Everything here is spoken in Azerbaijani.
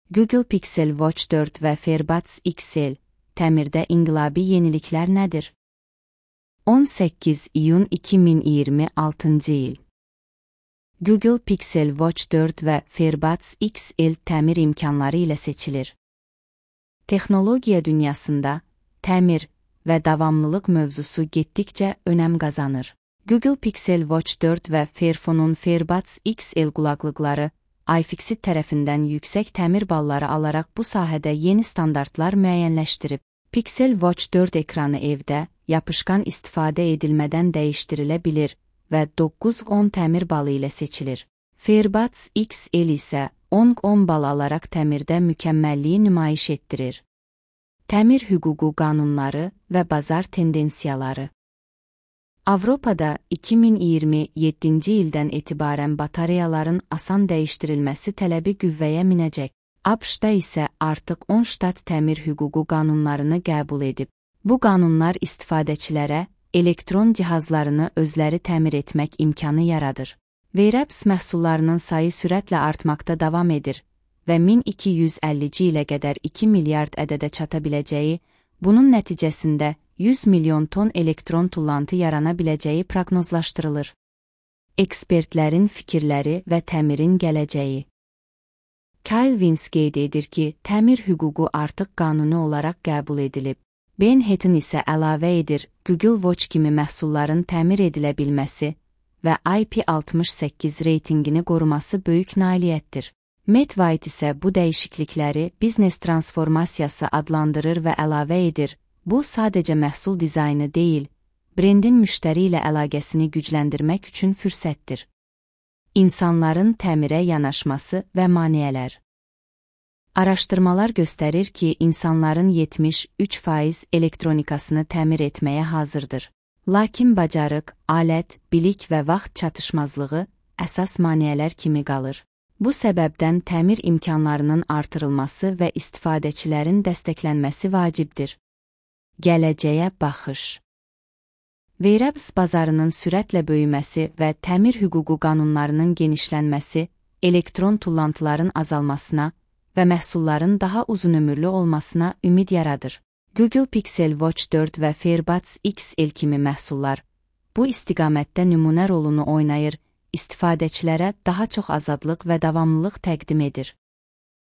Google Pixel Watch 4 və FairBuds XL təmirdə inqilabi yeniliklər nədir? 18 iyun 2026 il. Google Pixel Watch 4 və FairBuds XL təmir imkanları ilə seçilir. Texnologiya dünyasında təmir və davamlılıq mövzusu getdikcə önəm qazanır. Google Pixel Watch 4 və Fairphone'un FairBuds XL qulaqlıqları iFixit tərəfindən yüksək təmir balları alaraq bu sahədə yeni standartlar müəyyənləşdirib. Pixel Watch 4 ekranı evdə, yapışqan istifadə edilmədən dəyişdirilə bilir və 9-10 təmir balı ilə seçilir. FairBuds XL isə 10-10 bal alaraq təmirdə mükəmməlliyi nümayiş etdirir. Təmir hüququ qanunları və bazar tendensiyaları. Avropada 2027-ci ildən etibarən batareyaların asan dəyişdirilməsi tələbi qüvvəyə minəcək. ABŞ-da isə artıq 10 ştat təmir hüququ qanunlarını qəbul edib. Bu qanunlar istifadəçilərə elektron cihazlarını özləri təmir etmək imkanı yaradır. Wearables məhsullarının sayı sürətlə artmaqda davam edir və 1250-ci ilə qədər 2 milyard ədədə çata biləcəyi, bunun nəticəsində 100 milyon ton elektron tullantı yarana biləcəyi proqnozlaşdırılır. Ekspertlərin fikirləri və təmirin gələcəyi. Kyle Vince qeyd edir ki, təmir hüququ artıq qanuni olaraq qəbul edilib. Ben Hatton isə əlavə edir, Google Watch kimi məhsulların təmir edilə bilməsi və IP68 reytingini qoruması böyük nailiyyətdir. Matt White isə bu dəyişiklikləri biznes transformasiyası adlandırır və əlavə edir, bu sadəcə məhsul dizaynı deyil, brendin müştəri ilə əlaqəsini gücləndirmək üçün fürsətdir. İnsanların təmirə yanaşması və maneələr. Araşdırmalar göstərir ki, insanların 73% elektronikasını təmir etməyə hazırdır. Lakin bacarıq, alət, bilik və vaxt çatışmazlığı əsas maneələr kimi qalır. Bu səbəbdən təmir imkanlarının artırılması və istifadəçilərin dəstəklənməsi vacibdir. Gələcəyə baxış. Wearables bazarının sürətlə böyüməsi və təmir hüququ qanunlarının genişlənməsi, elektron tullantıların azalmasına və məhsulların daha uzunömürlü olmasına ümid yaradır. Google Pixel Watch 4 və FairBuds XL kimi məhsullar bu istiqamətdə nümunə rolunu oynayır, istifadəçilərə daha çox azadlıq və davamlılıq təqdim edir.